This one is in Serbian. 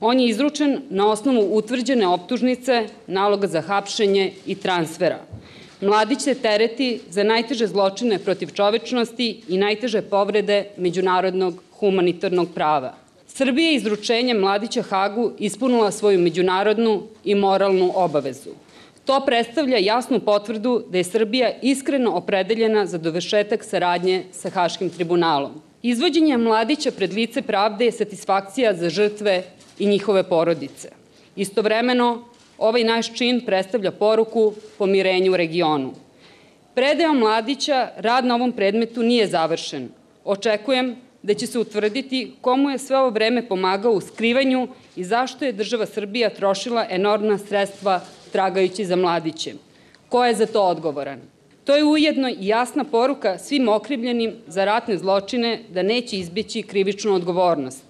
On je izručen na osnovu utvrđene optužnice, naloga za hapšenje i transfera. Mladić se tereti za najteže zločine protiv čovečnosti i najteže povrede međunarodnog humanitarnog prava. Srbija je izručenjem Mladića Hagu ispunila svoju međunarodnu i moralnu obavezu. To predstavlja jasnu potvrdu da je Srbija iskreno opredeljena za dovršetak saradnje sa Haškim tribunalom. Izvođenje Mladića pred lice pravde je satisfakcija za žrtve i njihove porodice. Istovremeno, ovaj naš čin predstavlja poruku pomirenju u regionu. Predajom Mladića rad na ovom predmetu nije završen. Očekujem da će se utvrditi komu je sve ovo vreme pomagao u skrivanju i zašto je država Srbija trošila enormna sredstva tragajući za Mladićem. Ko je za to odgovoran? To je ujedno i jasna poruka svim okrivljenim za ratne zločine da neće izbjeći krivičnu odgovornost.